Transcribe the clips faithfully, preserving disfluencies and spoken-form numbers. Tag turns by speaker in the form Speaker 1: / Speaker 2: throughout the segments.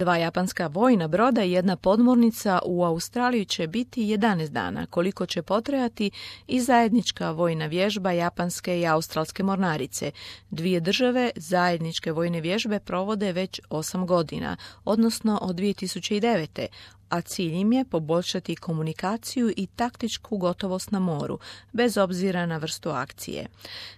Speaker 1: Dva japanska vojna broda i jedna podmornica u Australiji će biti jedanaest dana, koliko će potrajati i zajednička vojna vježba japanske i australske mornarice. Dvije države zajedničke vojne vježbe provode već osam godina, odnosno od dvije tisuće devete. a cilj im je poboljšati komunikaciju i taktičku gotovost na moru, bez obzira na vrstu akcije.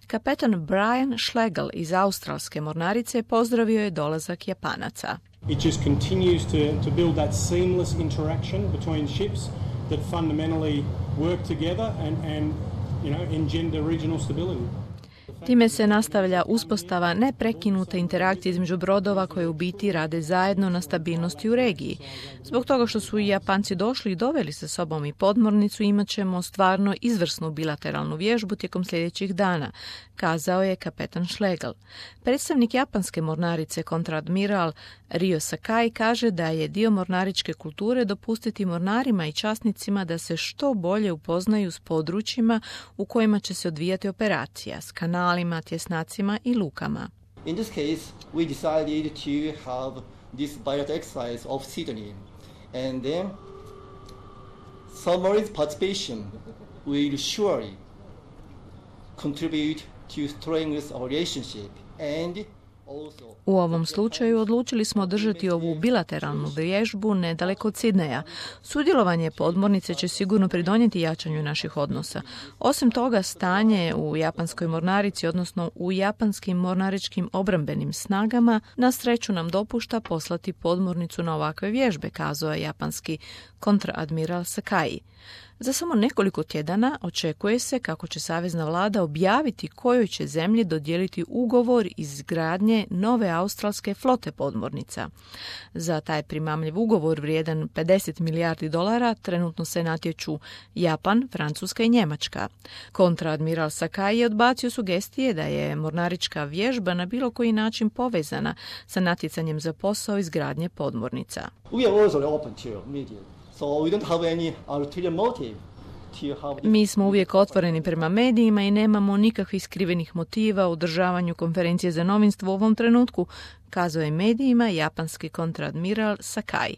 Speaker 1: Kapetan Brian Schlegel iz australske mornarice pozdravio je dolazak Japanaca.
Speaker 2: It just continues to, to build that seamless interaction between ships that fundamentally work together and, and you know, engender regional stability.
Speaker 1: Time se nastavlja uspostava neprekinute interakcije između brodova koje u biti rade zajedno na stabilnosti u regiji. Zbog toga što su i Japanci došli i doveli sa sobom i podmornicu, imat ćemo stvarno izvrsnu bilateralnu vježbu tijekom sljedećih dana, kazao je kapetan Schlegel. Predstavnik japanske mornarice kontradmiral Ryo Sakai kaže da je dio mornaričke kulture dopustiti mornarima i časnicima da se što bolje upoznaju s područjima u kojima će se odvijati operacija, s kanalima, tjesnacima i lukama.
Speaker 3: In this case, we decided to have this bilateral exercise of Sydney, and then submarine participation will surely contribute to strengthen our relationship and also.
Speaker 1: U ovom slučaju odlučili smo održati ovu bilateralnu vježbu nedaleko od Sidneja. Sudjelovanje podmornice će sigurno pridonijeti jačanju naših odnosa. Osim toga, stanje u japanskoj mornarici, odnosno u japanskim mornaričkim obrambenim snagama, na sreću nam dopušta poslati podmornicu na ovakve vježbe, kazao je japanski kontradmiral Sakai. Za samo nekoliko tjedana očekuje se kako će savezna vlada objaviti kojoj će zemlji dodijeliti ugovor izgradnje nove australske flote podmornica. Za taj primamljiv ugovor vrijedan pedeset milijardi dolara trenutno se natječu Japan, Francuska i Njemačka. Kontradmiral Sakai je odbacio sugestije da je mornarička vježba na bilo koji način povezana sa natjecanjem za posao izgradnje podmornica.
Speaker 3: We are also open to media. So we don't have any ulterior motive to have this.
Speaker 1: Mi smo uvijek otvoreni prema medijima i nemamo nikakvih skrivenih motiva u održavanju konferencije za novinstvo u ovom trenutku, kazao je medijima japanski kontradmiral Sakai.